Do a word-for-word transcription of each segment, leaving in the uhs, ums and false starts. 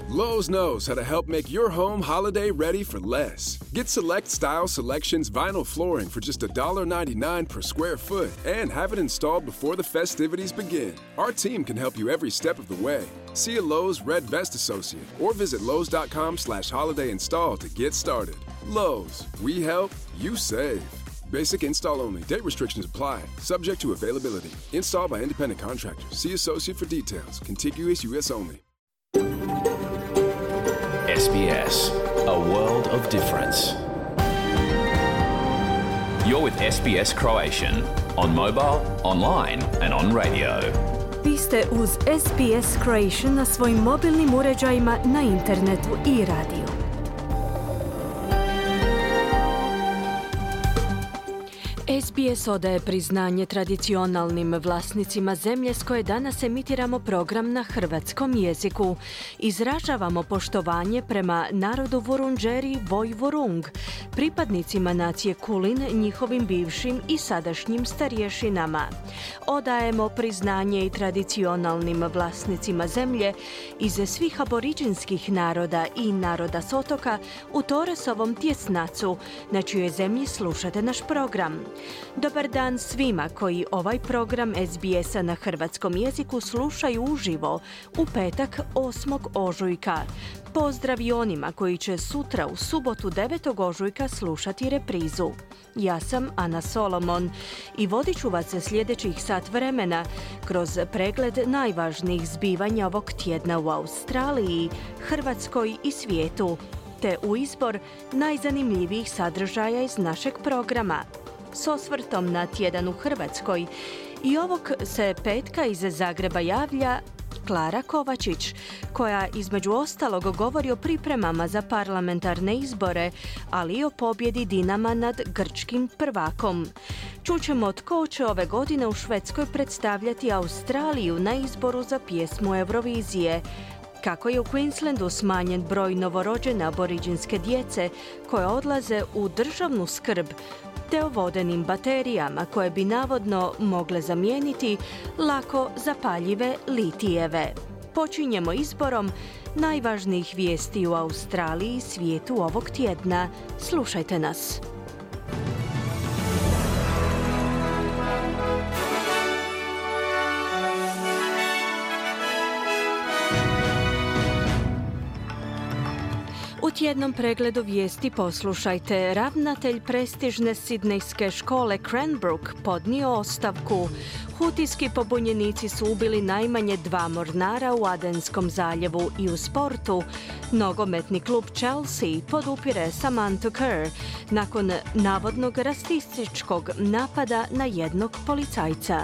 Lowe's knows how to help make your home holiday ready for less. Get Select Style Selections vinyl flooring for just one ninety-nine per square foot and have it installed before the festivities begin. Our team can help you every step of the way. See a Lowe's Red Vest associate or visit Lowe's.com slash holiday install to get started. Lowe's, we help, you save. Basic install only. Date restrictions apply. Subject to availability. Installed by independent contractors. See associate for details. Contiguous U S only. S B S, a world of difference. You're with S B S Croatian on mobile, online and on radio. Vi ste uz S B S Croatian na svojim mobilnim uređajima, na internetu i radiju. S B S odaje priznanje tradicionalnim vlasnicima zemlje s koje danas emitiramo program na hrvatskom jeziku. Izražavamo poštovanje prema narodu Vurundjeri Voi Vurung, pripadnicima nacije Kulin, njihovim bivšim i sadašnjim starješinama. Odajemo priznanje i tradicionalnim vlasnicima zemlje iz svih aboriđinskih naroda i naroda s otoka u Torresovom tjesnacu, na čijoj zemlji slušate naš program. Dobar dan svima koji ovaj program S B S-a na hrvatskom jeziku slušaju uživo u petak osmog ožujka. Pozdrav i onima koji će sutra u subotu devetog ožujka slušati reprizu. Ja sam Ana Solomon i vodit ću vas sljedećih sat vremena kroz pregled najvažnijih zbivanja ovog tjedna u Australiji, Hrvatskoj i svijetu, te u izbor najzanimljivijih sadržaja iz našeg programa. S osvrtom na tjedan u Hrvatskoj i ovog se petka iz Zagreba javlja Klara Kovačić, koja između ostalog govori o pripremama za parlamentarne izbore, ali i o pobjedi Dinama nad grčkim prvakom. Čućemo tko će ove godine u Švedskoj predstavljati Australiju na izboru za pjesmu Eurovizije, kako je u Queenslandu smanjen broj novorođene aboriđinske djece koje odlaze u državnu skrb, te o vodenim baterijama koje bi navodno mogle zamijeniti lako zapaljive litijeve. Počinjemo izborom najvažnijih vijesti u Australiji i svijetu ovog tjedna. Slušajte nas. U tjednom pregledu vijesti poslušajte. Ravnatelj prestižne sidnejske škole Cranbrook podnio ostavku. Hutijski pobunjenici su ubili najmanje dva mornara u Adenskom zaljevu i u sportu. Nogometni klub Chelsea podupire Samantha Kerr nakon navodnog rasističkog napada na jednog policajca.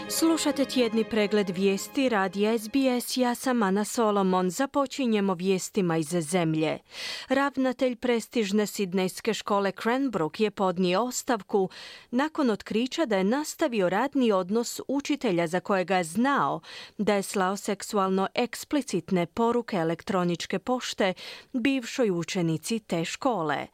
Slušate tjedni pregled vijesti radija S B S, ja sam Ana Solomon. Započinjemo vijestima iz zemlje. Ravnatelj prestižne sidnejske škole Cranbrook je podnio ostavku nakon otkrića da je nastavio radni odnos učitelja za kojega je znao da je slao seksualno eksplicitne poruke elektroničke pošte bivšoj učenici te škole.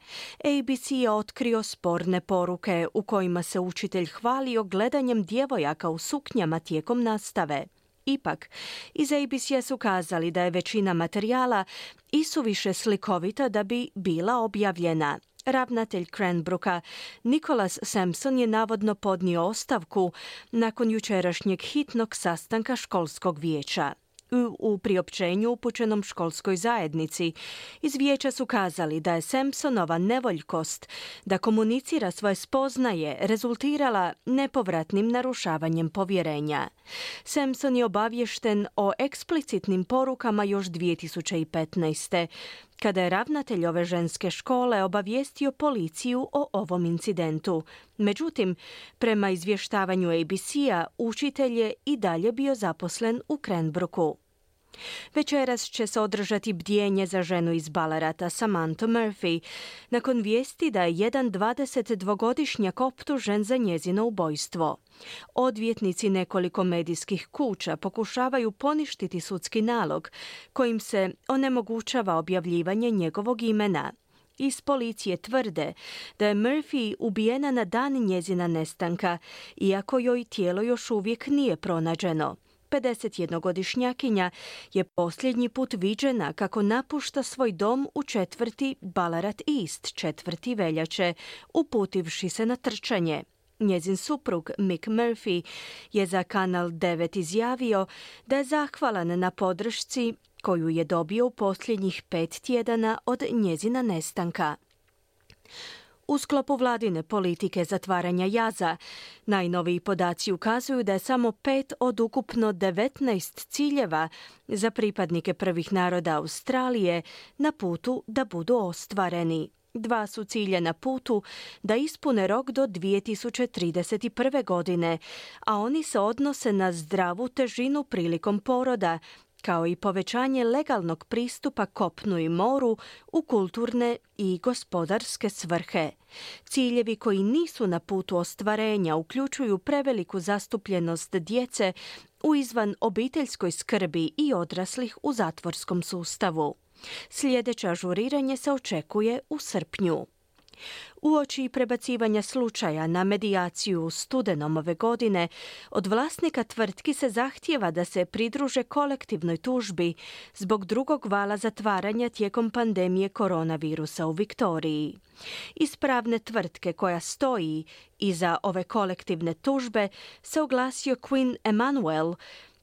A B C je otkrio sporne poruke u kojima se učitelj hvalio gledanjem djevojaka u suknjama tijekom nastave. Ipak, iz A B C-a su kazali da je većina materijala isuviše slikovita da bi bila objavljena. Ravnatelj Cranbrooka Nicholas Sampson je navodno podnio ostavku nakon jučerašnjeg hitnog sastanka školskog vijeća. U, u priopćenju upućenom školskoj zajednici iz vijeća su kazali da je Sampsonova nevoljkost da komunicira svoje spoznaje rezultirala nepovratnim narušavanjem povjerenja. Sampson je obaviješten o eksplicitnim porukama još dvije tisuće petnaeste. kada je ravnatelj ove ženske škole obavijestio policiju o ovom incidentu. Međutim, prema izvještavanju A B C-a, učitelj je i dalje bio zaposlen u Cranbrooku. Večeras će se održati bdjenje za ženu iz Ballarata Samantha Murphy, nakon vijesti da je jedan dvadesetdvogodišnjak optužen za njezino ubojstvo. Odvjetnici nekoliko medijskih kuća pokušavaju poništiti sudski nalog kojim se onemogućava objavljivanje njegovog imena. Iz policije tvrde da je Murphy ubijena na dan njezina nestanka, iako joj tijelo još uvijek nije pronađeno. pedesetjednogodišnjakinja je posljednji put viđena kako napušta svoj dom u četvrti Ballarat East, četvrti veljače, uputivši se na trčanje. Njezin suprug Mick Murphy je za Kanal devet izjavio da je zahvalan na podršci koju je dobio u posljednjih pet tjedana od njezina nestanka. U sklopu vladine politike zatvaranja jaza, najnoviji podaci ukazuju da je samo pet od ukupno devetnaest ciljeva za pripadnike prvih naroda Australije na putu da budu ostvareni. Dva su cilja na putu da ispune rok do dvije tisuće trideset prve. godine, a oni se odnose na zdravu težinu prilikom poroda, kao i povećanje legalnog pristupa kopnu i moru u kulturne i gospodarske svrhe. Ciljevi koji nisu na putu ostvarenja uključuju preveliku zastupljenost djece u izvan obiteljskoj skrbi i odraslih u zatvorskom sustavu. Sljedeće ažuriranje se očekuje u srpnju. Uoči prebacivanja slučaja na medijaciju u studenom ove godine, od vlasnika tvrtki se zahtijeva da se pridruže kolektivnoj tužbi zbog drugog vala zatvaranja tijekom pandemije koronavirusa u Viktoriji. Iz pravne tvrtke koja stoji iza ove kolektivne tužbe se oglasio Quinn Emanuel,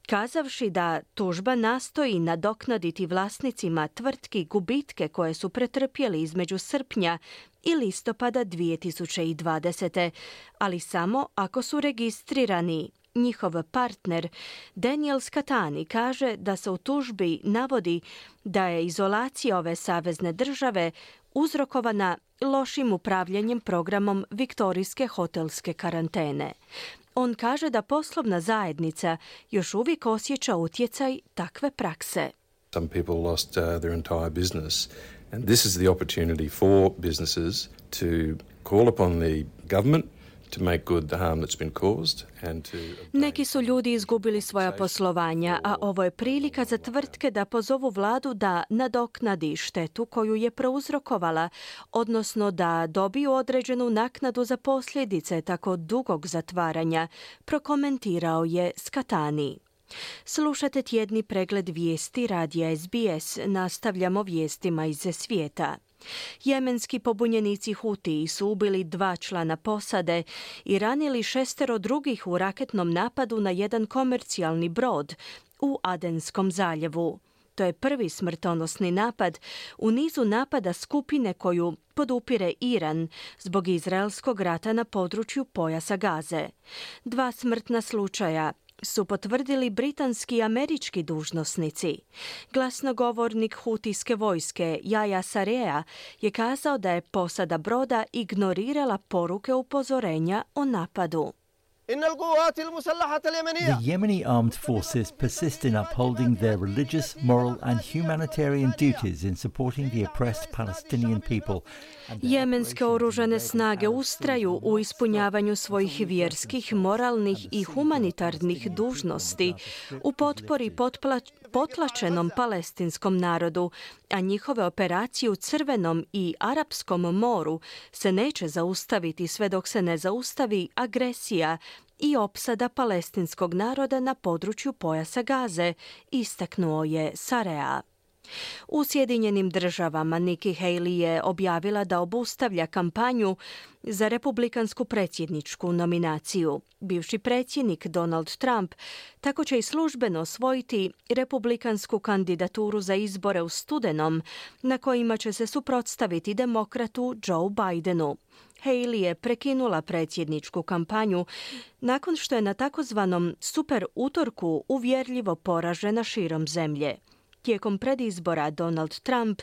kazavši da tužba nastoji nadoknaditi vlasnicima tvrtki gubitke koje su pretrpjeli između srpnja i listopada dvije tisuće dvadesete. ali samo ako su registrirani. Njihov partner Daniel Scatani kaže da se u tužbi navodi da je izolacija ove savezne države uzrokovana lošim upravljanjem programom viktorijske hotelske karantene. On kaže da poslovna zajednica još uvijek osjeća utjecaj takve prakse. Some people lost uh, their entire business, and this is the opportunity for businesses to call upon the government to make good the harm that's been caused and to Neki su ljudi izgubili svoja poslovanja, a ovo je prilika za tvrtke da pozovu vladu da nadoknadi štetu koju je prouzrokovala, odnosno da dobiju određenu naknadu za posljedice tako dugog zatvaranja, prokomentirao je Scatani. Slušate tjedni pregled vijesti radija S B S. Nastavljamo vijestima iz svijeta. Jemenski pobunjenici Hutiji su ubili dva člana posade i ranili šestero drugih u raketnom napadu na jedan komercijalni brod u Adenskom zaljevu. To je prvi smrtonosni napad u nizu napada skupine koju podupire Iran zbog izraelskog rata na području pojasa Gaze. Dva smrtna slučaja su potvrdili britanski i američki dužnosnici. Glasnogovornik hutijske vojske Jaja Sarea je kazao da je posada broda ignorirala poruke upozorenja o napadu. The Yemeni armed forces persist in upholding their religious, moral and humanitarian duties in supporting the oppressed Palestinian people. Jemenske oružane snage ustraju u ispunjavanju svojih vjerskih, moralnih i humanitarnih dužnosti u potpori potpla- potlačenom palestinskom narodu, a njihove operacije u Crvenom i Arapskom moru se neće zaustaviti sve dok se ne zaustavi agresija i opsada palestinskog naroda na području pojasa Gaze, istaknuo je Sarea. U Sjedinjenim državama Nikki Haley je objavila da obustavlja kampanju za republikansku predsjedničku nominaciju. Bivši predsjednik Donald Trump tako će i službeno osvojiti republikansku kandidaturu za izbore u studenom, na kojima će se suprotstaviti demokratu Joe Bidenu. Haley je prekinula predsjedničku kampanju nakon što je na takozvanom super utorku uvjerljivo poražena širom zemlje. Tijekom predizbora Donald Trump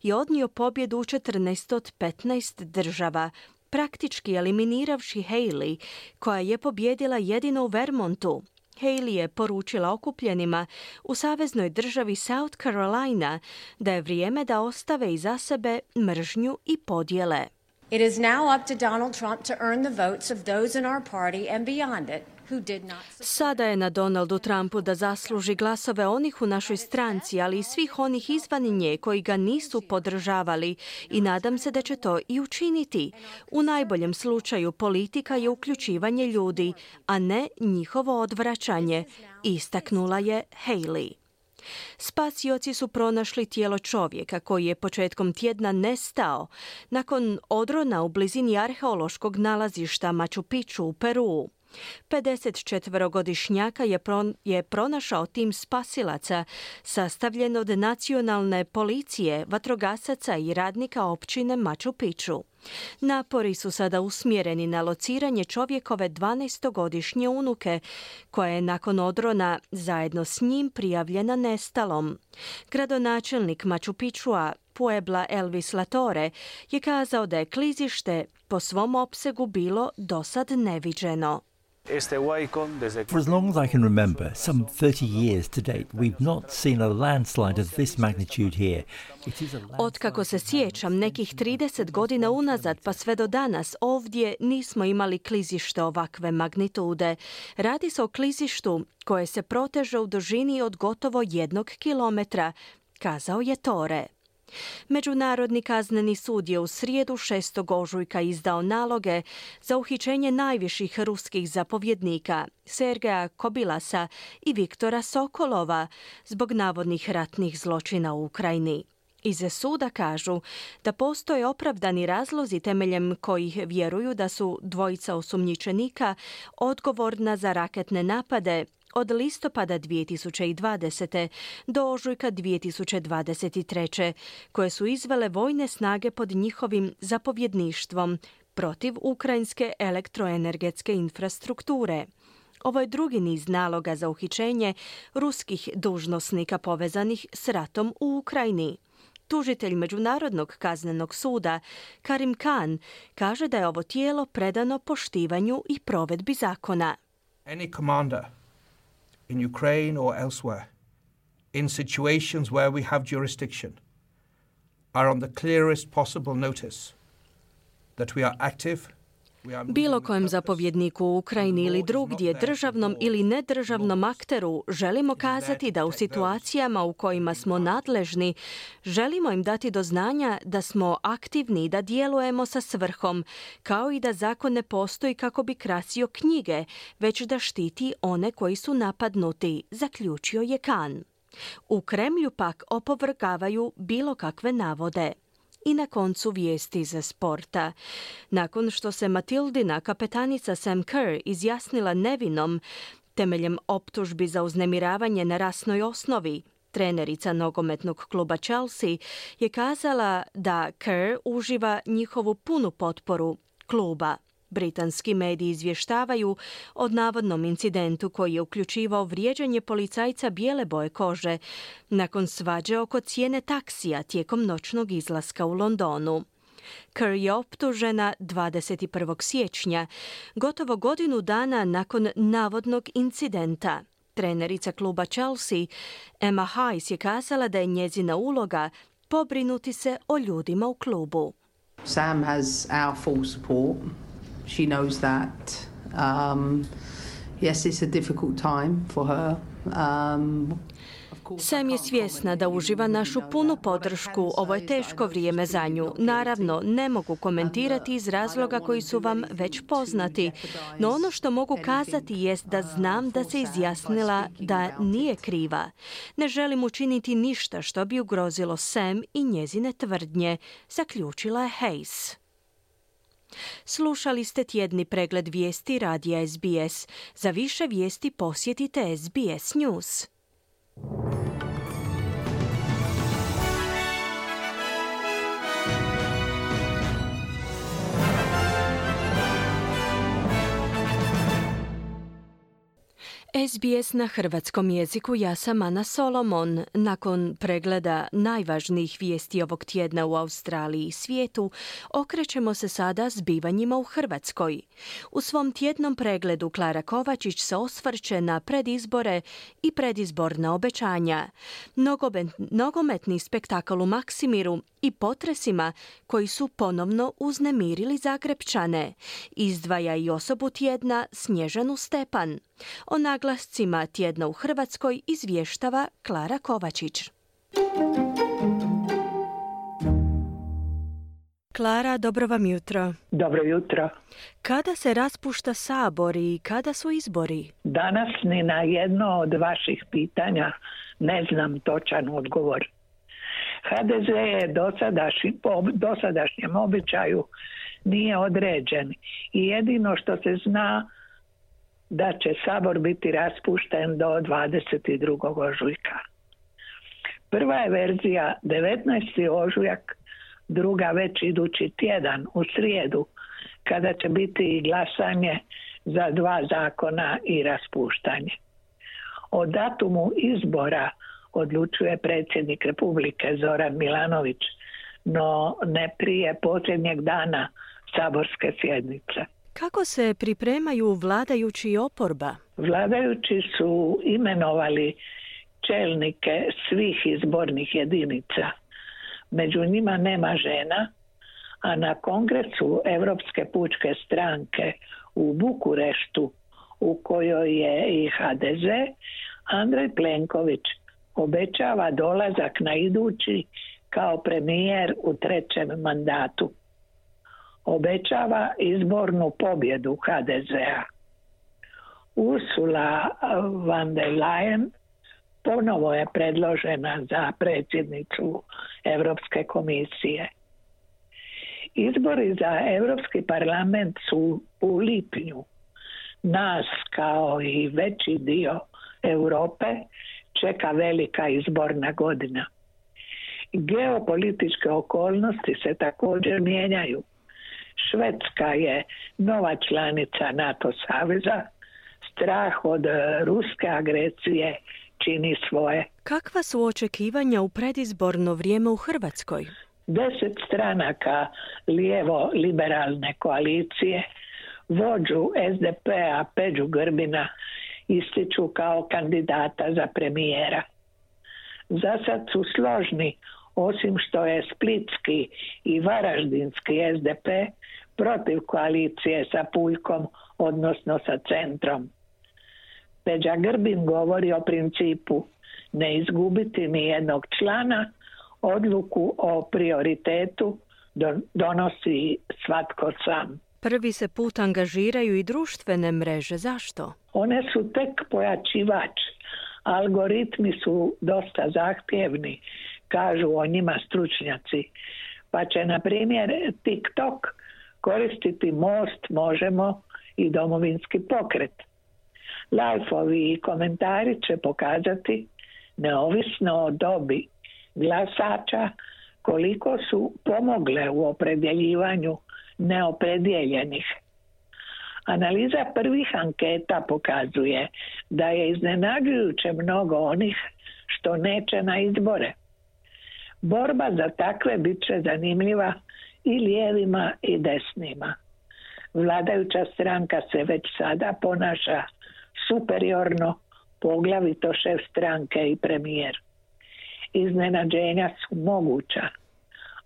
je odnio pobjedu u četrnaest od petnaest država, praktički eliminiraši Haley, koja je pobjedila jedino u Vermontu. Haley je poručila okupljenima u saveznoj državi South Carolina da je vrijeme da ostave iza sebe mržnju i podjele. It is now up to Donald Trump to earn the votes of those in our party and beyond it who did not. Sada je na Donaldu Trumpu da zasluži glasove onih u našoj stranci, ali i svih onih izvan nje koji ga nisu podržavali i nadam se da će to i učiniti. U najboljem slučaju politika je uključivanje ljudi, a ne njihovo odvraćanje, istaknula je Haley. Spasioci su pronašli tijelo čovjeka koji je početkom tjedna nestao nakon odrona u blizini arheološkog nalazišta Machu Picchu u Peruu. pedesetčetverogodišnjaka je, pron, je pronašao tim spasilaca sastavljen od nacionalne policije, vatrogasaca i radnika općine Machu Picchu. Napori su sada usmjereni na lociranje čovjekove dvanaestogodišnje unuke, koja je nakon odrona zajedno s njim prijavljena nestalom. Gradonačelnik Machu Picchua Puebla Elvis Latore je kazao da je klizište po svom opsegu bilo dosad neviđeno. For as long as I can remember, some thirty years to date, we've not seen a landslide of this magnitude here. It is a Otkako se sjećam, nekih trideset godina unazad pa sve do danas, ovdje nismo imali klizište ovakve magnitude. Radi se o klizištu koje se proteže u dužini od gotovo jednog kilometra, kazao je Tore. Međunarodni kazneni sud je u srijedu šestog ožujka izdao naloge za uhićenje najviših ruskih zapovjednika Sergeja Kobilasa i Viktora Sokolova zbog navodnih ratnih zločina u Ukrajini. Iz suda kažu da postoje opravdani razlozi temeljem kojih vjeruju da su dvojica osumnjičenika odgovorna za raketne napade od listopada dvije tisuće dvadesete do ožujka dvije tisuće dvadeset treće koje su izvele vojne snage pod njihovim zapovjedništvom protiv ukrajinske elektroenergetske infrastrukture. Ovo je drugi niz naloga za uhićenje ruskih dužnosnika povezanih s ratom u Ukrajini. Tužitelj Međunarodnog kaznenog suda Karim Khan kaže da je ovo tijelo predano poštivanju i provedbi zakona. Any commander in Ukraine or elsewhere, in situations where we have jurisdiction, are on the clearest possible notice that we are active. Bilo kojem zapovjedniku u Ukrajini ili drugdje, državnom ili nedržavnom akteru, želimo kazati da u situacijama u kojima smo nadležni, želimo im dati do znanja da smo aktivni i da djelujemo sa svrhom, kao i da zakon ne postoji kako bi krasio knjige, već da štiti one koji su napadnuti, zaključio je Khan. U Kremlju pak opovrgavaju bilo kakve navode. I na koncu vijesti iz sporta. Nakon što se Matildina kapetanica Sam Kerr izjasnila nevinom temeljem optužbi za uznemiravanje na rasnoj osnovi, trenerica nogometnog kluba Chelsea je kazala da Kerr uživa njihovu punu potporu kluba. Britanski mediji izvještavaju o navodnom incidentu koji je uključivao vrijeđanje policajca bijele boje kože nakon svađe oko cijene taksija tijekom noćnog izlaska u Londonu. Kerr je optužena dvadeset prvog siječnja, gotovo godinu dana nakon navodnog incidenta. Trenerica kluba Chelsea Emma Hayes je kazala da je njezina uloga pobrinuti se o ljudima u klubu. Sam has our full support. She knows that. Um, yes, it's a difficult time for her. Um, Sam je svjesna da uživa našu punu podršku. Ovo je teško vrijeme za nju. Naravno, ne mogu komentirati iz razloga koji su vam već poznati. No ono što mogu kazati jest da znam da se izjasnila da nije kriva. Ne želim učiniti ništa što bi ugrozilo Sam i njezine tvrdnje, zaključila je Hayes. Slušali ste tjedni pregled vijesti radija S B S. Za više vijesti posjetite S B S News. S B S na hrvatskom jeziku, ja sam Ana Solomon. Nakon pregleda najvažnijih vijesti ovog tjedna u Australiji i svijetu, okrećemo se sada zbivanjima u Hrvatskoj. U svom tjednom pregledu Klara Kovačić se osvrće na predizbore i predizborna obećanja, nogometni spektakl u Maksimiru i potresima koji su ponovno uznemirili Zagrepčane. Izdvaja i osobu tjedna Snježanu Stepan. O naglascima tjedna u Hrvatskoj izvještava Klara Kovačić. Klara, dobro vam jutro. Dobro jutro. Kada se raspušta Sabor i kada su izbori? Danas ni na jedno od vaših pitanja ne znam točan odgovor. H D Z je dosadašnji, po dosadašnjem običaju nije određen i jedino što se zna da će Sabor biti raspušten do dvadeset drugog ožujka. Prva je verzija devetnaesti ožujak, druga već idući tjedan u srijedu, kada će biti i glasanje za dva zakona i raspuštanje. O datumu izbora odlučuje predsjednik Republike Zoran Milanović, no ne prije posljednjeg dana saborske sjednice. Kako se pripremaju vladajući i oporba? Vladajući su imenovali čelnike svih izbornih jedinica. Među njima nema žena, a na kongresu Europske pučke stranke u Bukureštu, u kojoj je i H D Z, Andrej Plenković obećava dolazak na idući kao premijer u trećem mandatu. Obećava izbornu pobjedu H D Z-a. Ursula von der Leyen ponovo je predložena za predsjednicu Europske komisije. Izbori za Europski parlament su u lipnju. Nas, kao i veći dio Europe, čeka velika izborna godina. Geopolitičke okolnosti se također mijenjaju. Švedska je nova članica NATO saveza. Strah od ruske agresije čini svoje. Kakva su očekivanja u predizborno vrijeme u Hrvatskoj? Deset stranaka lijevo-liberalne koalicije vođu S D P-a Peđu Grbina ističu kao kandidata za premijera. Za sad su složni, osim što je splitski i varaždinski S D P protiv koalicije sa Puljkom, odnosno sa Centrom. Peđa Grbin govori o principu ne izgubiti ni jednog člana, odluku o prioritetu donosi svatko sam. Prvi se put angažiraju i društvene mreže. Zašto? One su tek pojačivač. Algoritmi su dosta zahtjevni, kažu o njima stručnjaci. Pa će, na primjer, TikTok koristiti Most, Možemo i Domovinski pokret. Lajfovi i komentari će pokazati, neovisno o dobi glasača, koliko su pomogle u opredjeljivanju neopredijeljenih. Analiza prvih anketa pokazuje da je iznenađujuće mnogo onih što neće na izbore. Borba za takve bit će zanimljiva i lijevima i desnima. Vladajuća stranka se već sada ponaša superiorno, poglavito šef stranke i premijer. Iznenađenja su moguća.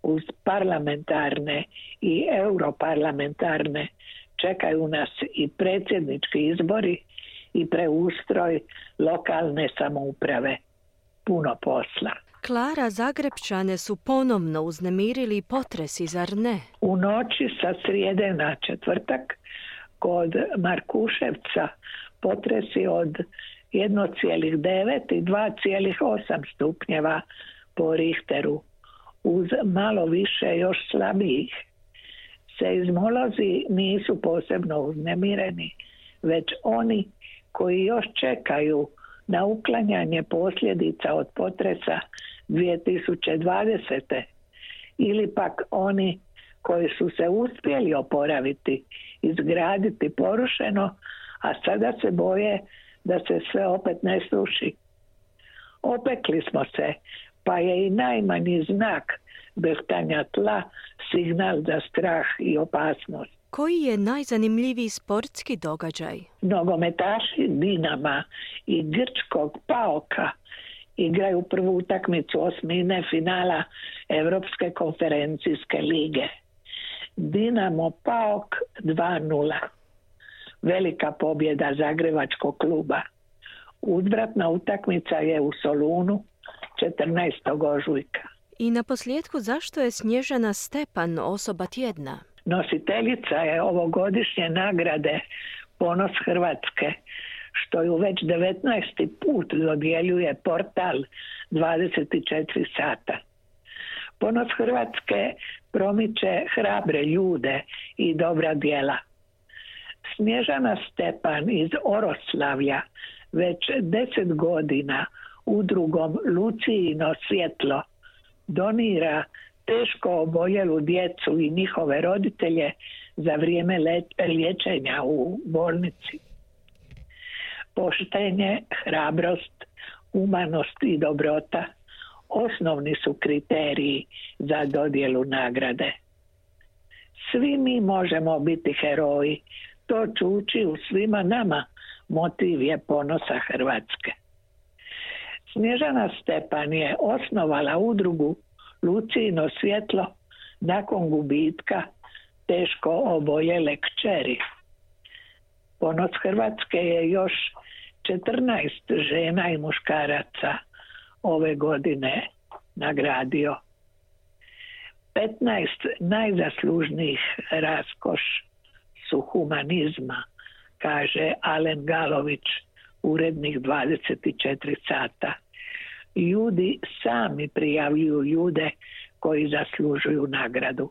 Uz parlamentarne i europarlamentarne čekaju nas i predsjednički izbori i preustroj lokalne samouprave. Puno posla. Klara, Zagrepčane su ponovno uznemirili potresi, zar ne? U noći sa srijede na četvrtak kod Markuševca potresi od jedan zarez devet i dva zarez osam stupnjeva po Richteru, uz malo više još slabijih. Seizmolozi nisu posebno uznemireni, već oni koji još čekaju na uklanjanje posljedica od potresa dvije tisuće dvadesete ili pak oni koji su se uspjeli oporaviti, izgraditi porušeno, a sada se boje da se sve opet ne sruši. Opekli smo se, pa je i najmanji znak drhtanja tla signal za strah i opasnost. Koji je najzanimljiviji sportski događaj? Nogometaši Dinama i grčkog Paoka igraju prvu utakmicu osmine finala Europske konferencijske lige. Dinamo Paok dva nula. Velika pobjeda Zagrebačkog kluba. Uzvratna utakmica je u Solunu četrnaestog ožujka. I na posljedku, zašto je Snježana Stepan osoba tjedna? Nositeljica je ovogodišnje nagrade Ponos Hrvatske, što ju već devetnaesti put dodjeljuje portal dvadeset četiri sata. Ponos Hrvatske promiče hrabre ljude i dobra djela. Snježana Stepan iz Oroslavlja već deset godina udrugom Lucijino svjetlo donira teško oboljelu djecu i njihove roditelje za vrijeme liječenja u bolnici. Poštenje, hrabrost, humanost i dobrota osnovni su kriteriji za dodjelu nagrade. Svi mi možemo biti heroji, to čuči u svima nama, motiv je ponosa Hrvatske. Snježana Stepan je osnovala udrugu Lucijino svjetlo nakon gubitka teško oboljele kćeri. Ponos Hrvatske je još četrnaest žena i muškaraca ove godine nagradio. petnaest najzaslužnijih raskoš su humanizma, kaže Alen Galović, urednik dvadeset četiri sata. Ljudi sami prijavljuju ljude koji zaslužuju nagradu.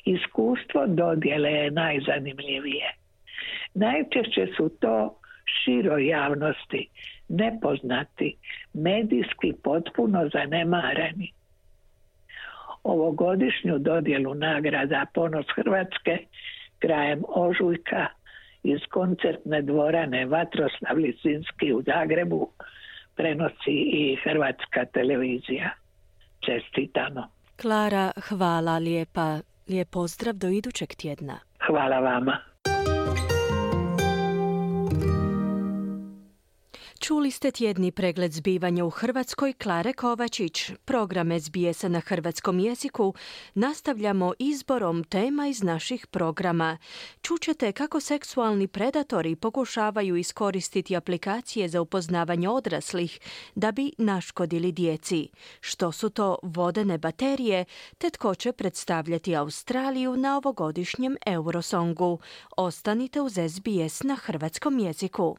Iskustvo dodjele je najzanimljivije. Najčešće su to široj javnosti, nepoznati, medijski potpuno zanemareni. Ovogodišnju dodjelu nagrada Ponos Hrvatske krajem ožujka iz koncertne dvorane Vatroslav Lisinski u Zagrebu prenosi i Hrvatska televizija. Čestitamo. Klara, hvala lijepa. Lijep pozdrav do idućeg tjedna. Hvala vama. Čuli ste tjedni pregled zbivanja u Hrvatskoj Klare Kovačić. Program S B S-a na hrvatskom jeziku nastavljamo izborom tema iz naših programa. Čućete kako seksualni predatori pokušavaju iskoristiti aplikacije za upoznavanje odraslih da bi naškodili djeci. Što su to vodene baterije, te tko će predstavljati Australiju na ovogodišnjem Eurosongu. Ostanite uz S B S na hrvatskom jeziku.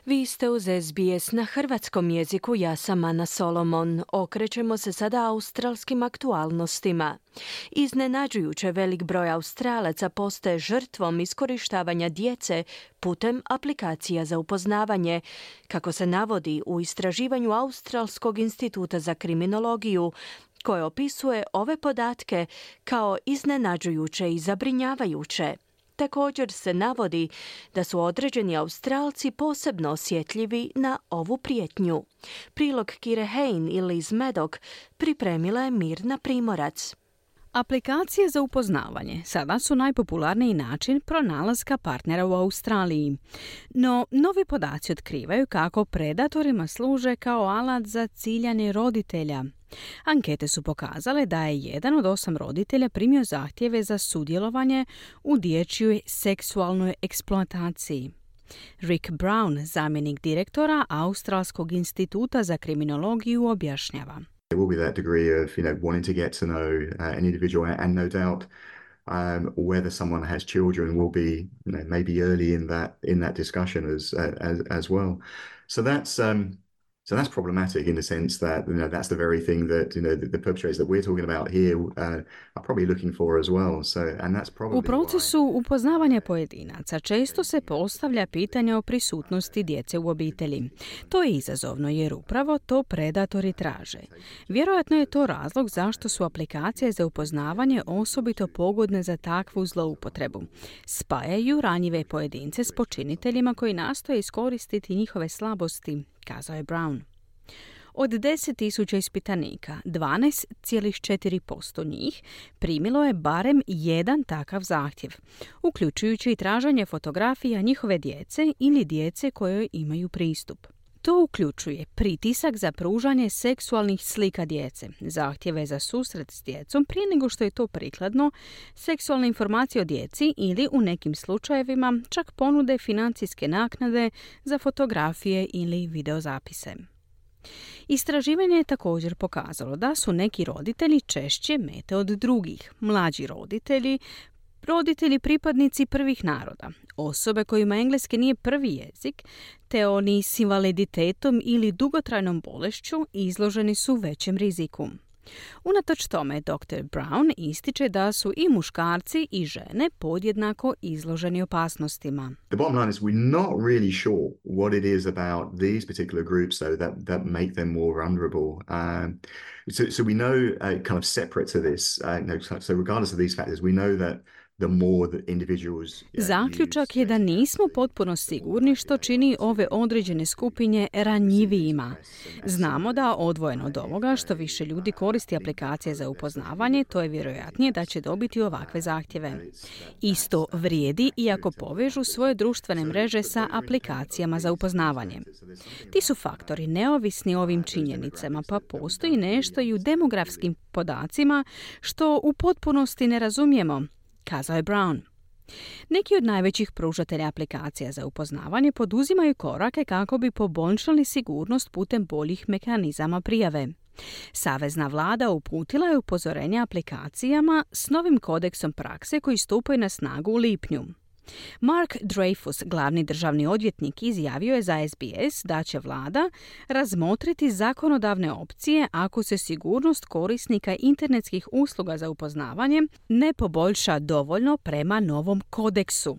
Vi ste uz S B S na hrvatskom jeziku, ja sam Ana Solomon. Okrećemo se sada australskim aktualnostima. Iznenađujuće velik broj Australaca postaje žrtvom iskorištavanja djece putem aplikacija za upoznavanje, kako se navodi u istraživanju Australskog instituta za kriminologiju, koje opisuje ove podatke kao iznenađujuće i zabrinjavajuće. Također se navodi da su određeni Australci posebno osjetljivi na ovu prijetnju. Prilog Kire Hain i Liz Maddock pripremila je Mirna Primorac. Aplikacije za upoznavanje sada su najpopularniji način pronalaska partnera u Australiji. No, novi podaci otkrivaju kako predatorima služe kao alat za ciljanje roditelja. Ankete su pokazale da je jedan od osam roditelja primio zahtjeve za sudjelovanje u dječjoj seksualnoj eksploataciji. Rick Brown, zamjenik direktora Australskog instituta za kriminologiju, objašnjava. There will be that degree of, you know, wanting to get to know uh, an individual, and no doubt um, whether someone has children will be, you know, maybe early in that in that discussion as uh, as as well. So that's um, So that's problematic in the sense that, you know, that's the very thing that, you know, the, the perpetrators that we're talking about here uh, are probably looking for as well. So, and that's probably U procesu upoznavanja pojedinaca često se postavlja pitanje o prisutnosti djece u obitelji. To je izazovno jer upravo to predatori traže. Vjerojatno je to razlog zašto su aplikacije za upoznavanje osobito pogodne za takvu zloupotrebu. Spajaju ranjive pojedince s počiniteljima koji nastoje iskoristiti njihove slabosti, kazao je Brown. Od deset tisuća ispitanika, dvanaest zarez četiri posto njih primilo je barem jedan takav zahtjev, uključujući i traženje fotografija njihove djece ili djece kojoj imaju pristup. To uključuje pritisak za pružanje seksualnih slika djece, zahtjeve za susret s djecom prije nego što je to prikladno, seksualne informacije o djeci ili u nekim slučajevima čak ponude financijske naknade za fotografije ili videozapise. Istraživanje je također pokazalo da su neki roditelji češće mete od drugih, mlađi roditelji, roditelji pripadnici prvih naroda, osobe kojima engleski nije prvi jezik, te oni s invaliditetom ili dugotrajnom bolešću izloženi su većem riziku. Unatoč tome, doktor Brown ističe da su i muškarci i žene podjednako izloženi opasnostima. The bottom line is we're not really sure what it is about these particular groups though that, that make them more vulnerable. Um, so, so we know uh, kind of separate to this, uh, no, so regardless of these factors, we know that Zaključak je da nismo potpuno sigurni što čini ove određene skupine ranjivijima. Znamo da odvojeno od ovoga što više ljudi koristi aplikacije za upoznavanje, to je vjerojatnije da će dobiti ovakve zahtjeve. Isto vrijedi i ako povežu svoje društvene mreže sa aplikacijama za upoznavanje. Ti su faktori neovisni o ovim činjenicama, pa postoji nešto i u demografskim podacima što u potpunosti ne razumijemo, kazao je Brown. Neki od najvećih pružatelja aplikacija za upoznavanje poduzimaju korake kako bi poboljšali sigurnost putem boljih mehanizama prijave. Savezna vlada uputila je upozorenje aplikacijama s novim kodeksom prakse koji stupaju na snagu u lipnju. Mark Dreyfus, glavni državni odvjetnik, izjavio je za S B S da će vlada razmotriti zakonodavne opcije ako se sigurnost korisnika internetskih usluga za upoznavanje ne poboljša dovoljno prema novom kodeksu.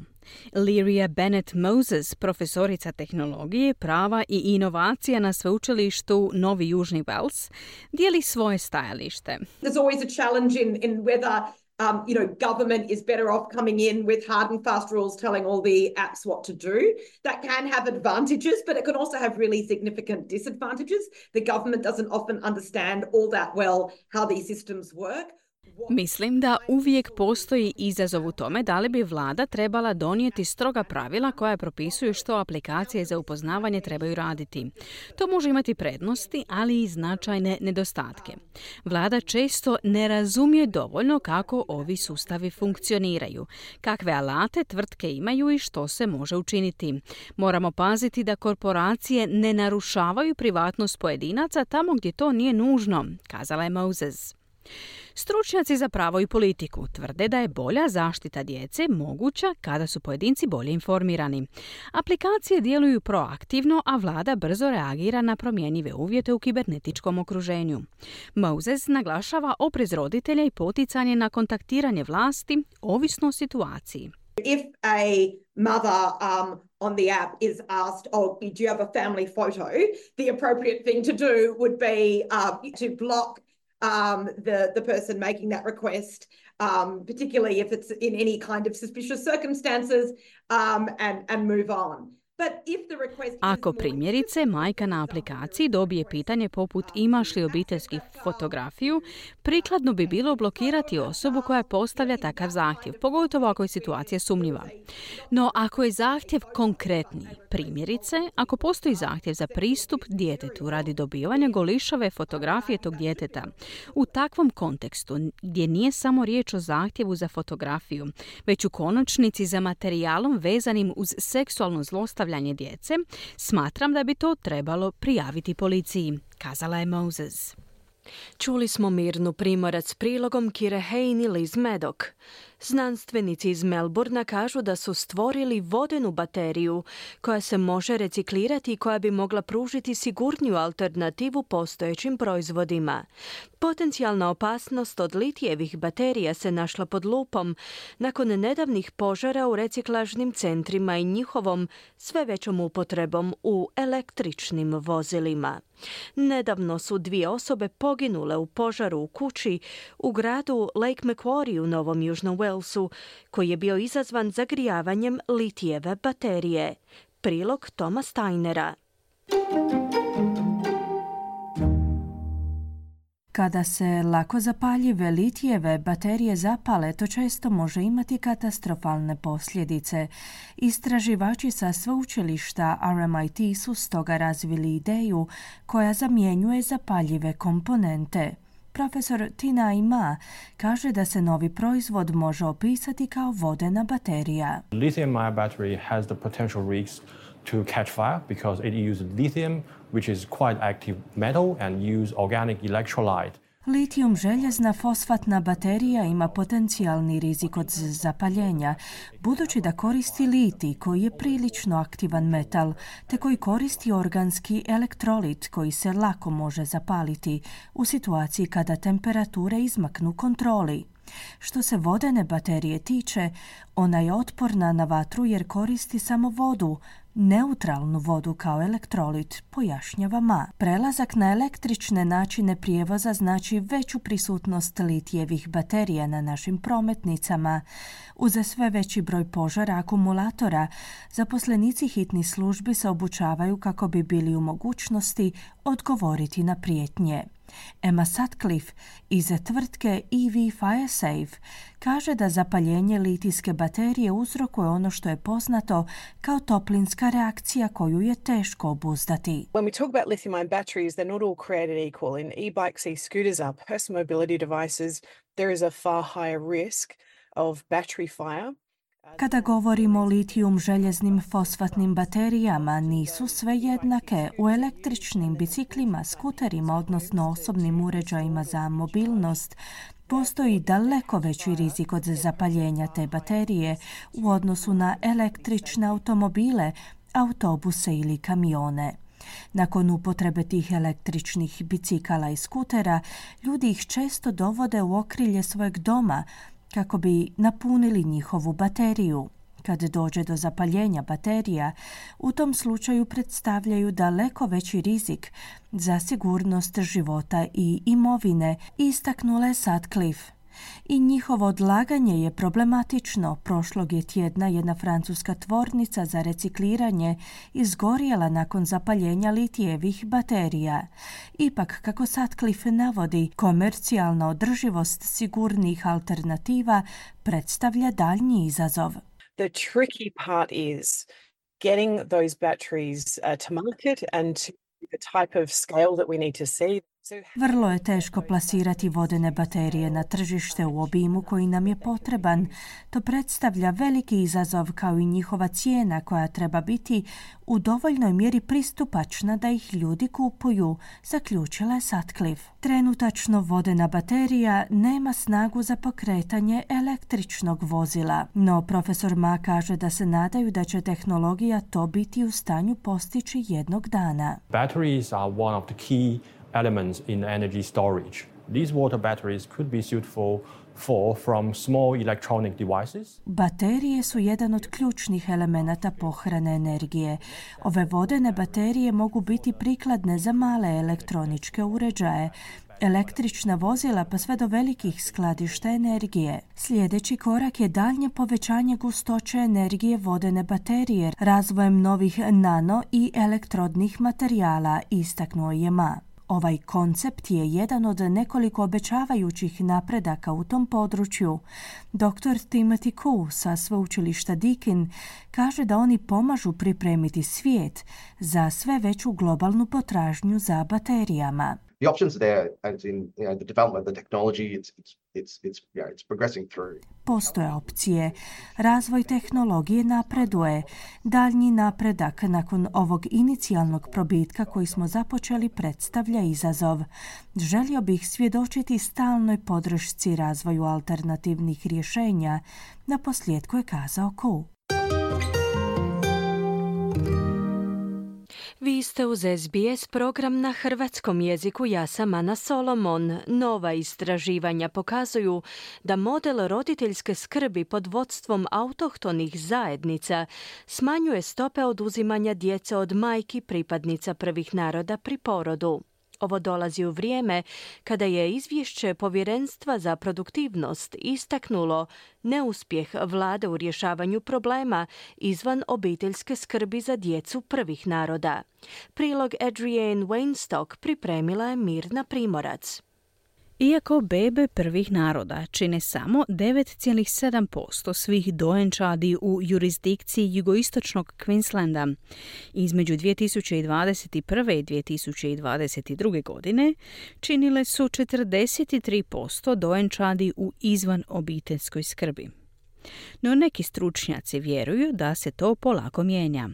Lyria Bennett Moses, profesorica tehnologije, prava i inovacija na sveučilištu Novi Južni Wales, dijeli svoje stajalište. There's always a challenge in, in whether Um, you know, government is better off coming in with hard and fast rules telling all the apps what to do. That can have advantages, but it can also have really significant disadvantages. The government doesn't often understand all that well how these systems work. Mislim da uvijek postoji izazov u tome da li bi vlada trebala donijeti stroga pravila koja propisuju što aplikacije za upoznavanje trebaju raditi. To može imati prednosti, ali i značajne nedostatke. Vlada često ne razumije dovoljno kako ovi sustavi funkcioniraju, kakve alate tvrtke imaju i što se može učiniti. Moramo paziti da korporacije ne narušavaju privatnost pojedinaca tamo gdje to nije nužno, kazala je Moses. Stručnjaci za pravo i politiku tvrde da je bolja zaštita djece moguća kada su pojedinci bolje informirani. Aplikacije djeluju proaktivno, a vlada brzo reagira na promjenjive uvjete u kibernetičkom okruženju. Moses naglašava oprez roditelja i poticanje na kontaktiranje vlasti ovisno o situaciji. If a mother um, on the app is asked, oh, do you have a family photo? The appropriate thing to do would be uh, to block Um, the, the person making that request, um, particularly if it's in any kind of suspicious circumstances, um, and, and move on. Ako primjerice majka na aplikaciji dobije pitanje poput imaš li obiteljsku fotografiju, prikladno bi bilo blokirati osobu koja postavlja takav zahtjev, pogotovo ako je situacija sumnjiva. No ako je zahtjev konkretniji, primjerice, ako postoji zahtjev za pristup djetetu radi dobivanja golišave fotografije tog djeteta, u takvom kontekstu gdje nije samo riječ o zahtjevu za fotografiju, već u konačnici za materijalom vezanim uz seksualno zlostavljanje djece, smatram da bi to trebalo prijaviti policiji, kazala je Moses. Čuli smo Mirnu Primorac prilogom Kire Hain i Liz Maddock. Znanstvenici iz Melbourna kažu da su stvorili vodenu bateriju koja se može reciklirati i koja bi mogla pružiti sigurniju alternativu postojećim proizvodima. Potencijalna opasnost od litijevih baterija se našla pod lupom nakon nedavnih požara u reciklažnim centrima i njihovom sve većom upotrebom u električnim vozilima. Nedavno su dvije osobe poginule u požaru u kući u gradu Lake Macquarie u Novom Južnom Walesu, koji je bio izazvan zagrijavanjem litijeve baterije. Prilog Toma Steinera. Kada se lako zapaljive litijeve baterije zapale, to često može imati katastrofalne posljedice. Istraživači sa sveučilišta R M I T su stoga razvili ideju koja zamjenjuje zapaljive komponente. Profesor Tina Ima kaže da se novi proizvod može opisati kao vodena baterija. Lithium-ion battery has the potential risks to catch fire because it uses lithium, which is quite active metal, and use organic electrolyte. Litijum željezna fosfatna baterija ima potencijalni rizik od zapaljenja, budući da koristi litij koji je prilično aktivan metal, te koji koristi organski elektrolit koji se lako može zapaliti u situaciji kada temperature izmaknu kontroli. Što se vodene baterije tiče, ona je otporna na vatru jer koristi samo vodu, neutralnu vodu kao elektrolit, pojašnjava Ma. Prelazak na električne načine prijevoza znači veću prisutnost litijevih baterija na našim prometnicama. Uz sve veći broj požara akumulatora, zaposlenici hitnih službi se obučavaju kako bi bili u mogućnosti odgovoriti na prijetnje. Emma Sutcliffe iz tvrtke E V FireSafe kaže da zapaljenje litijske baterije uzrokuje ono što je poznato kao toplinska reakcija koju je teško obuzdati. When we talk about lithium-ion batteries, they're not all created equal. In e-bikes, e-scooters are personal mobility devices. There is a far higher risk of battery fire. Kada govorimo o litijum željeznim fosfatnim baterijama, nisu sve jednake. U električnim biciklima, skuterima, odnosno osobnim uređajima za mobilnost, postoji daleko veći rizik od zapaljenja te baterije u odnosu na električne automobile, autobuse ili kamione. Nakon upotrebe tih električnih bicikala i skutera, ljudi ih često dovode u okrilje svojeg doma kako bi napunili njihovu bateriju. Kad dođe do zapaljenja baterija, u tom slučaju predstavljaju daleko veći rizik za sigurnost života i imovine, istaknula je Sutcliffe. I njihovo odlaganje je problematično. Prošlog je tjedna jedna francuska tvornica za recikliranje izgorjela nakon zapaljenja litijevih baterija. Ipak, kako Sutcliffe navodi, komercijalna održivost sigurnih alternativa predstavlja daljnji izazov. The tricky part is getting those batteries uh, to market and to the type of scale that we need to see. Vrlo je teško plasirati vodene baterije na tržište u obimu koji nam je potreban. To predstavlja veliki izazov kao i njihova cijena koja treba biti u dovoljnoj mjeri pristupačna da ih ljudi kupuju, zaključila je Sutcliffe. Trenutačno vodena baterija nema snagu za pokretanje električnog vozila, no profesor Ma kaže da se nadaju da će tehnologija to biti u stanju postići jednog dana. Batteries are one of the key elements in energy storage. These water batteries could be suitable for from small electronic devices. Baterije su jedan od ključnih elemenata pohrane energije. Ove vodene baterije mogu biti prikladne za male elektroničke uređaje, električna vozila pa sve do velikih skladišta energije. Sljedeći korak je daljnje povećanje gustoće energije vodene baterije razvojem novih nano i elektrodnih materijala, istaknuo je Ma. Ovaj koncept je jedan od nekoliko obećavajućih napredaka u tom području. doktor Timothy Koo sa sveučilišta Deakin kaže da oni pomažu pripremiti svijet za sve veću globalnu potražnju za baterijama. the options are there, as in you know the development of the technology. It's it's it's it's you know it's progressing through. Postoje opcije. Razvoj tehnologije napreduje. Daljnji napredak nakon ovog inicijalnog probitka koji smo započeli predstavlja izazov. Želio bih svjedočiti stalnoj podršci razvoju alternativnih rješenja, na posljedku je kazao Ku. Vi ste uz S B S program na hrvatskom jeziku. Ja sam Ana Solomon. Nova istraživanja pokazuju da model roditeljske skrbi pod vodstvom autohtonih zajednica smanjuje stope oduzimanja djece od majki pripadnica prvih naroda pri porodu. Ovo dolazi u vrijeme kada je izvješće Povjerenstva za produktivnost istaknulo neuspjeh vlade u rješavanju problema izvan obiteljske skrbi za djecu prvih naroda. Prilog Adrienne Weinstock pripremila je Mirna Primorac. Iako bebe prvih naroda čine samo devet zarez sedam posto svih dojenčadi u jurisdikciji jugoistočnog Queenslanda, između dvije tisuće dvadeset prve i dvije tisuće dvadeset druge. godine činile su četrdeset tri posto dojenčadi u izvan obiteljskoj skrbi. No neki stručnjaci vjeruju da se to polako mijenja.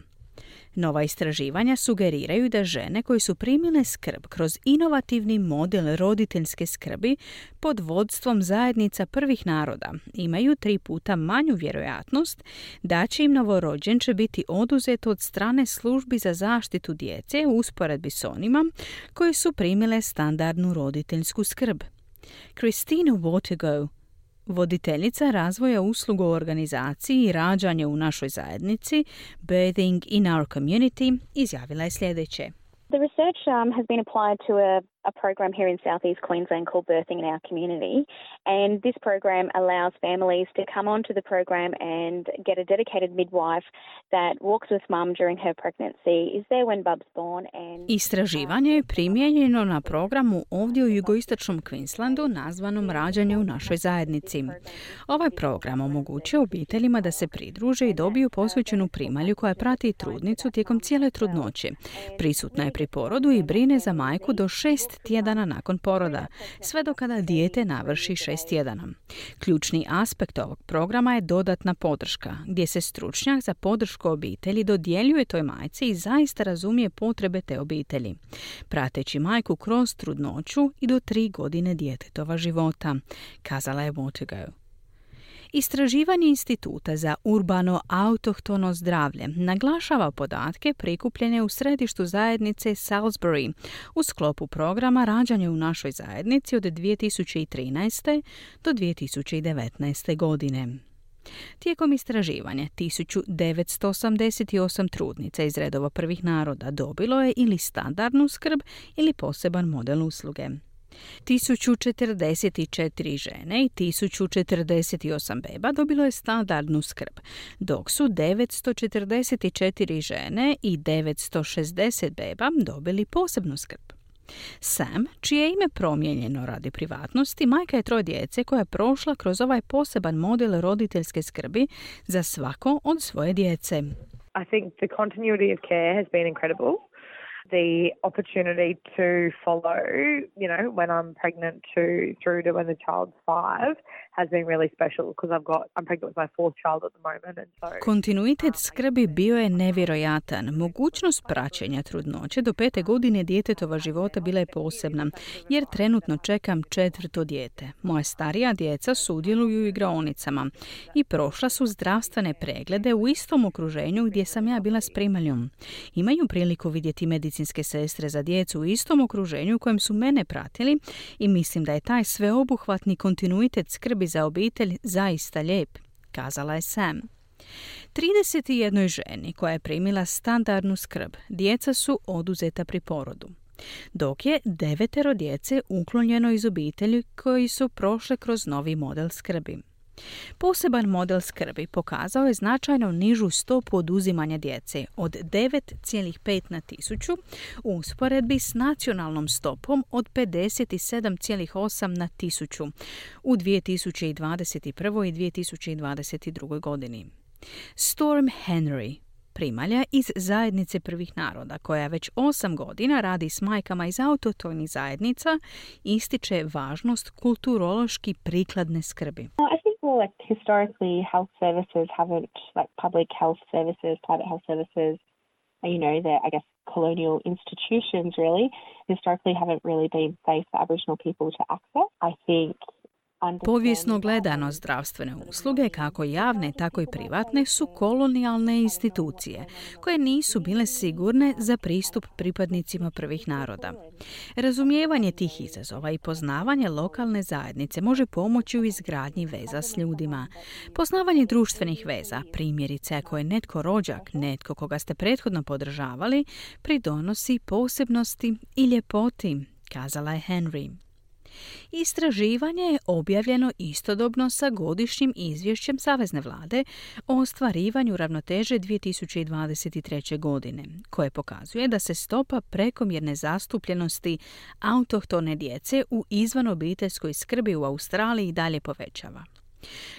Nova istraživanja sugeriraju da žene koje su primile skrb kroz inovativni model roditeljske skrbi pod vodstvom zajednica prvih naroda imaju tri puta manju vjerojatnost da će im novorođenče biti oduzeto od strane službi za zaštitu djece u usporedbi s onima koje su primile standardnu roditeljsku skrb. Christine Watergo, voditeljica razvoja usluga u organizaciji i rađanje u našoj zajednici, Birthing in Our Community, izjavila je sljedeće. The research um, has been applied to a, a program here in southeast Queensland called Birthing in Our Community, and this program allows families to come onto the program and get a dedicated midwife that walks with mum during her pregnancy, is there when bub's born and... Istraživanje je primijenjeno na programu ovdje u jugoistočnom Queenslandu nazvanom Rađanje u našoj zajednici. Ovaj program omogućuje obiteljima da se pridruže i dobiju posvećenu primalju koja prati trudnicu tijekom cijele trudnoće. Prisutna je pri porodu i brine za majku do šest tjedana nakon poroda, sve do kada dijete navrši šest tjedana. Ključni aspekt ovog programa je dodatna podrška, gdje se stručnjak za podršku obitelji dodjeljuje toj majci i zaista razumije potrebe te obitelji, prateći majku kroz trudnoću i do tri godine djetetova života, kazala je Watergo. Istraživanje Instituta za urbano autohtono zdravlje naglašava podatke prikupljene u središtu zajednice Salisbury u sklopu programa Rađanje u našoj zajednici od dvije tisuće trinaeste do dvije tisuće devetnaeste. godine. Tijekom istraživanja tisuću devetsto osamdeset osam trudnica iz redova prvih naroda dobilo je ili standardnu skrb ili poseban model usluge. tisuću četrdeset četiri žene i tisuću četrdeset osam beba dobilo je standardnu skrb, dok su devetsto četrdeset četiri žene i devetsto šezdeset beba dobili posebnu skrb. Sam, čije je ime promijenjeno radi privatnosti, majka je troje djece koja je prošla kroz ovaj poseban model roditeljske skrbi za svako od svoje djece. I think the continuity of care has been incredible. The opportunity to follow, you know, when I'm pregnant to through to when the child's five has been really special because I've got I'm pregnant with my fourth child at the moment and so Kontinuitet skrbi bio je nevjerojatan. Mogućnost praćenja trudnoće do pete godine djetetova života bila je posebna, jer trenutno čekam četvrto dijete. Moja starija djeca sudjeluju u igraonicama i prošla su zdravstvene preglede u istom okruženju gdje sam ja bila s primaljom. Imaju priliku vidjeti medicinske sestre za djecu u istom okruženju u kojem su mene pratili i mislim da je taj sveobuhvatni kontinuitet skrbi za obitelj zaista lijep, kazala je Sam. trideset jednoj ženi koja je primila standardnu skrb, djeca su oduzeta pri porodu, dok je devetero djece uklonjeno iz obitelji koji su prošle kroz novi model skrbi. Poseban model skrbi pokazao je značajno nižu stopu oduzimanja djece od devet zarez pet na tisuću u usporedbi s nacionalnom stopom od pedeset sedam zarez osam na tisuću u dvije tisuće dvadeset prvoj i dvije tisuće dvadeset drugoj. godini. Storm Henry, primalja iz zajednice prvih naroda, koja već osam godina radi s majkama iz autohtonih zajednica, ističe važnost kulturološki prikladne skrbi. I think more like historically health services haven't, like public health services, private health services, you know, they're, I guess, colonial institutions really, historically haven't really been safe for Aboriginal people to access. I think Povijesno gledano, zdravstvene usluge, kako javne, tako i privatne, su kolonijalne institucije koje nisu bile sigurne za pristup pripadnicima prvih naroda. Razumijevanje tih izazova i poznavanje lokalne zajednice može pomoći u izgradnji veza s ljudima. Poznavanje društvenih veza, primjerice ako je netko rođak, netko koga ste prethodno podržavali, pridonosi posebnosti i ljepoti, kazala je Henry. Istraživanje je objavljeno istodobno sa godišnjim izvješćem Savezne vlade o ostvarivanju ravnoteže dvije tisuće dvadeset treće. godine, koje pokazuje da se stopa prekomjerne zastupljenosti autohtone djece u izvanobiteljskoj skrbi u Australiji dalje povećava.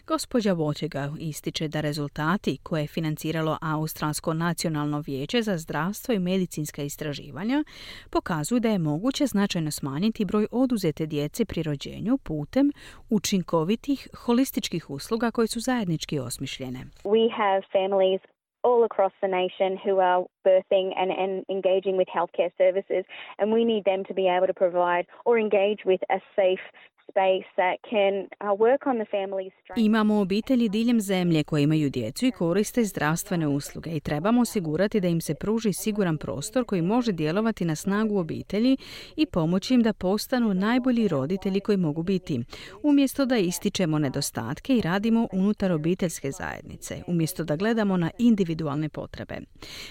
Gospođa Watergau ističe da rezultati koje je financiralo Australsko nacionalno vijeće za zdravstvo i medicinska istraživanja pokazuju da je moguće značajno smanjiti broj oduzete djece pri rođenju putem učinkovitih holističkih usluga koje su zajednički osmišljene. We have families all across the nation who are birthing and, and engaging with healthcare services, and we need them to be able to provide or engage with a safe space that can uh, work on the family's strength. Imamo obitelji diljem zemlje koje imaju djecu i koriste zdravstvene usluge i trebamo osigurati da im se pruži siguran prostor koji može djelovati na snagu obitelji i pomoći im da postanu najbolji roditelji koji mogu biti, umjesto da ističemo nedostatke i radimo unutar obiteljske zajednice, umjesto da gledamo na individualne potrebe.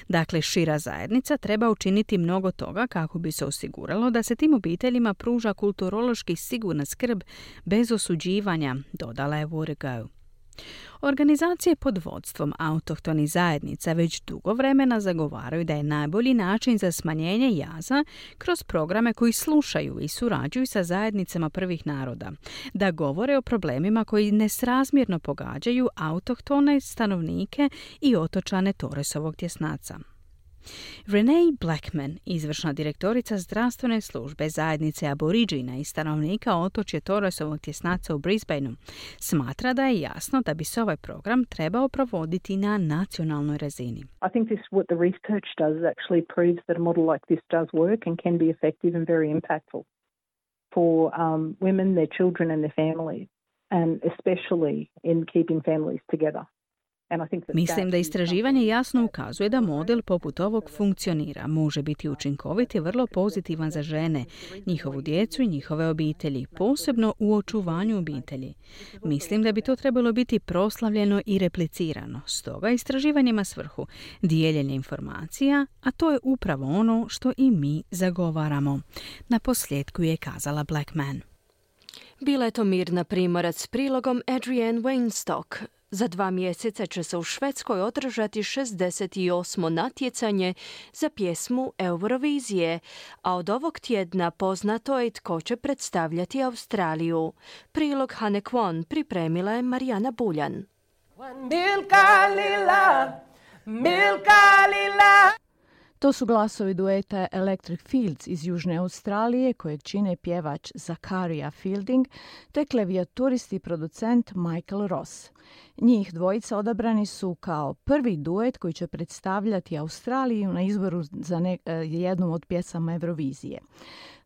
Dakle, šira zajednica treba učiniti mnogo toga kako bi se osiguralo da se tim obiteljima pruža kulturološki sigurna skrb bez osuđivanja, dodala je Watergau. Organizacije pod vodstvom autohtonih zajednica već dugo vremena zagovaraju da je najbolji način za smanjenje jaza kroz programe koji slušaju i surađuju sa zajednicama prvih naroda, da govore o problemima koji nesrazmjerno pogađaju autohtone stanovnike i otočane Torresovog tjesnaca. Renee Blackman, izvršna direktorica zdravstvene službe zajednice Aborigina i stanovnika otočja Torresovog tjesnaca u Brisbaneu, smatra da je jasno da bi se ovaj program trebao provoditi na nacionalnoj razini. I think this what the research does actually proves that a model like this does work and can be effective and very impactful for um, women, their children and their families, and especially in keeping families together. Mislim da istraživanje jasno ukazuje da model poput ovog funkcionira, može biti učinkovit i vrlo pozitivan za žene, njihovu djecu i njihove obitelji, posebno u očuvanju obitelji. Mislim da bi to trebalo biti proslavljeno i replicirano. Stoga istraživanje ima svrhu dijeljenje informacija, a to je upravo ono što i mi zagovaramo. Na posljedku je kazala Blackman. Bila je to Mirna Primorac s prilogom Adrienne Weinstock. Za dva mjeseca će se u Švedskoj održati šezdeset osmo natjecanje za pjesmu Eurovizije, a od ovog tjedna poznato je tko će predstavljati Australiju. Prilog Hane Kwon pripremila je Marijana Buljan. Milka lila, milka lila. To su glasovi dueta Electric Fields iz Južne Australije, kojeg čine pjevač Zakaria Fielding te klavijaturist i producent Michael Ross. Njih dvojica odabrani su kao prvi duet koji će predstavljati Australiju na izboru za ne, jednom od pjesama Eurovizije.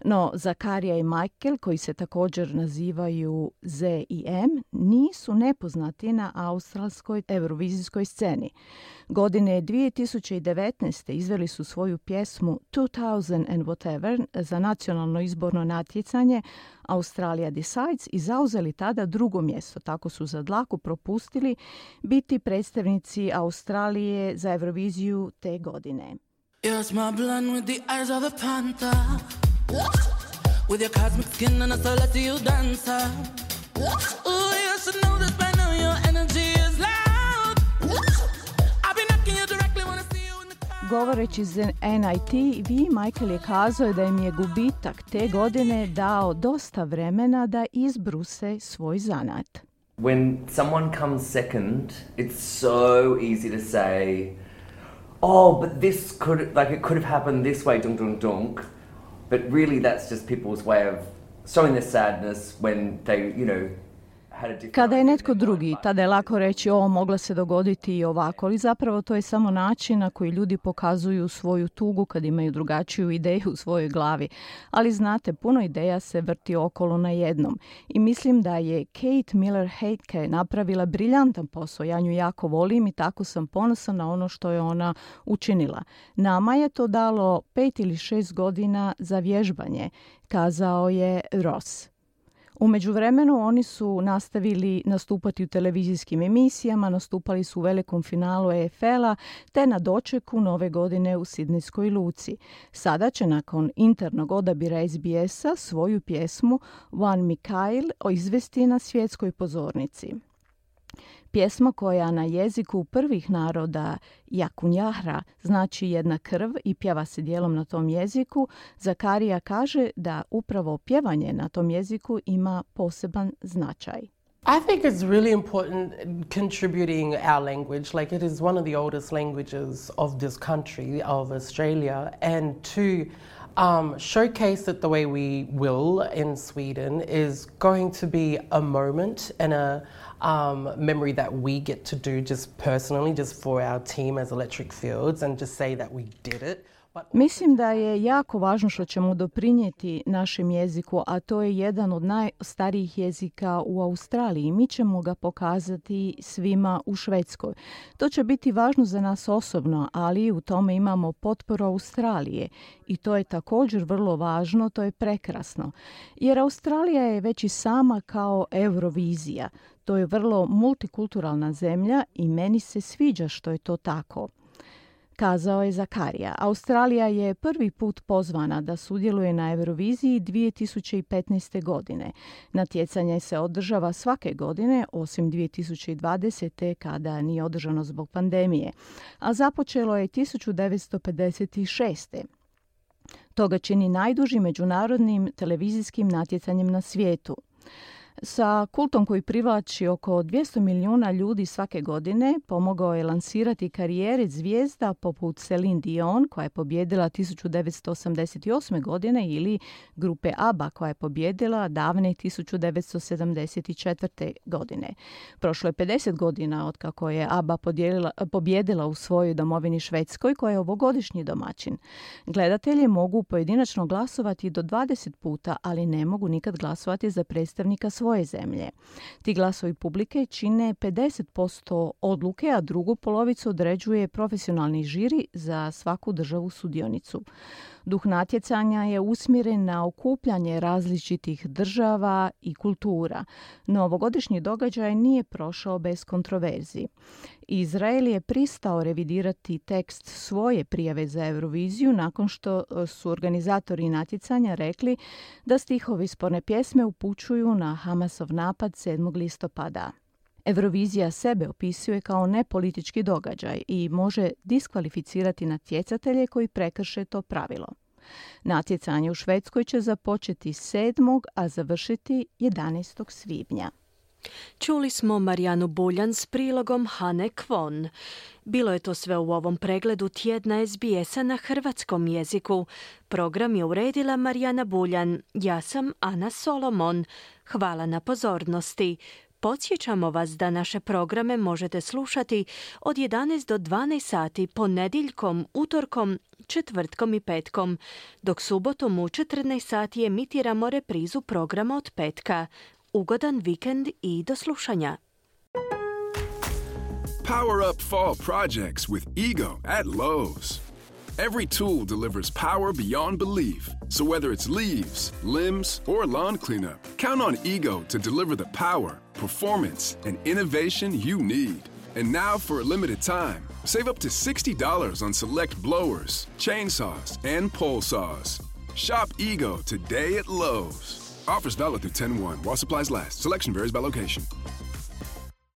No, Zakaria i Michael, koji se također nazivaju Z i M, nisu nepoznati na australskoj eurovizijskoj sceni. Godine dvije tisuće devetnaeste izveli su svoju pjesmu two thousand and whatever za nacionalno izborno natjecanje Australia Decides i zauzeli tada drugo mjesto. Tako su za dlaku propustili biti predstavnici Australije za Euroviziju te godine. Yes, my blonde with the eyes of a panther, with your cosmic skin and a celestial dancer. Oh, you should know this by now, your energy is loud. I'll be knocking you directly when I see you in the crowd. Govoreći za N I T V, Michael je kazao da im je gubitak te godine dao dosta vremena da izbruse svoj zanat. When someone comes second, it's so easy to say, oh, but this could, like it could have happened this way, dunk, dunk, dunk. But really that's just people's way of showing their sadness when they, you know, Kada je netko drugi, tada je lako reći o, mogla se dogoditi i ovako, ali zapravo to je samo način na koji ljudi pokazuju svoju tugu kad imaju drugačiju ideju u svojoj glavi. Ali znate, puno ideja se vrti okolo na jednom. I mislim da je Kate Miller-Heidke napravila briljantan posao. Ja nju jako volim i tako sam ponosan na ono što je ona učinila. Nama je to dalo pet ili šest godina za vježbanje, kazao je Ross. U međuvremenu oni su nastavili nastupati u televizijskim emisijama, nastupali su u velikom finalu E F L-a te na dočeku nove godine u Sidnejskoj luci. Sada će nakon internog odabira S B S-a svoju pjesmu One Mikhail izvesti na svjetskoj pozornici. Pjesma koja na jeziku prvih naroda Jakunjahra znači jedna krv i pjeva se dijelom na tom jeziku, Zakarija kaže da upravo pjevanje na tom jeziku ima poseban značaj. I think it's really important contributing our language, like it is one of the oldest languages of this country, of Australia, and to um, showcase it the way we will in Sweden is going to be a moment and a um, memory that we get to do just personally, just for our team as Electric Fields, and just say that we did it. Mislim da je jako važno što ćemo doprinijeti našem jeziku, a to je jedan od najstarijih jezika u Australiji. Mi ćemo ga pokazati svima u Švedskoj. To će biti važno za nas osobno, ali u tome imamo potporu Australije. I to je također vrlo važno, to je prekrasno. Jer Australija je već i sama kao Eurovizija. To je vrlo multikulturalna zemlja i meni se sviđa što je to tako, kazao je Zakarija. Australija je prvi put pozvana da sudjeluje na Euroviziji dvije tisuće petnaeste. godine. Natjecanje se održava svake godine, osim dvije tisuće dvadesete. kada nije održano zbog pandemije, a započelo je tisuću devetsto pedeset šeste. To ga čini najdužim međunarodnim televizijskim natjecanjem na svijetu. Sa kultom koji privlači oko dvjesto milijuna ljudi svake godine pomogao je lansirati karijere zvijezda poput Celine Dion koja je pobjedila tisuću devetsto osamdeset osme. godine ili grupe ABBA koja je pobjedila davne tisuću devetsto sedamdeset četvrte. godine. Prošlo je pedeset godina od kako je ABBA pobjedila u svojoj domovini Švedskoj koja je ovogodišnji domaćin. Gledatelji mogu pojedinačno glasovati do dvadeset puta, ali ne mogu nikad glasovati za predstavnika svoje zemlje. Ti glasovi publike čine pedeset posto odluke, a drugu polovicu određuje profesionalni žiri za svaku državu sudionicu. Duh natjecanja je usmjeren na okupljanje različitih država i kultura, no ovogodišnji događaj nije prošao bez kontroverzi. Izrael je pristao revidirati tekst svoje prijave za Euroviziju nakon što su organizatori natjecanja rekli da stihovi sporne pjesme upućuju na Hamasov napad sedmog listopada. Eurovizija sebe opisuje kao nepolitički događaj i može diskvalificirati natjecatelje koji prekrše to pravilo. Natjecanje u Švedskoj će započeti sedmog a završiti jedanaestog svibnja. Čuli smo Marijanu Buljan s prilogom Hane Kvon. Bilo je to sve u ovom pregledu tjedna S B S-a na hrvatskom jeziku. Program je uredila Marijana Buljan. Ja sam Ana Solomon. Hvala na pozornosti. Podsjećamo vas da naše programe možete slušati od jedanaest do dvanaest sati ponedjeljkom, utorkom, četvrtkom i petkom, dok subotom u četrnaest sati emitiramo reprizu programa od petka. Ugodan vikend i do slušanja. Power up fall projects with Ego at Lowe's. Every tool delivers power beyond belief. So whether it's leaves, limbs, or lawn cleanup, count on Ego to deliver the power, performance, and innovation you need. And now for a limited time, save up to sixty dollars on select blowers, chainsaws, and pole saws. Shop Ego today at Lowe's. Offers valid through ten one while supplies last. Selection varies by location.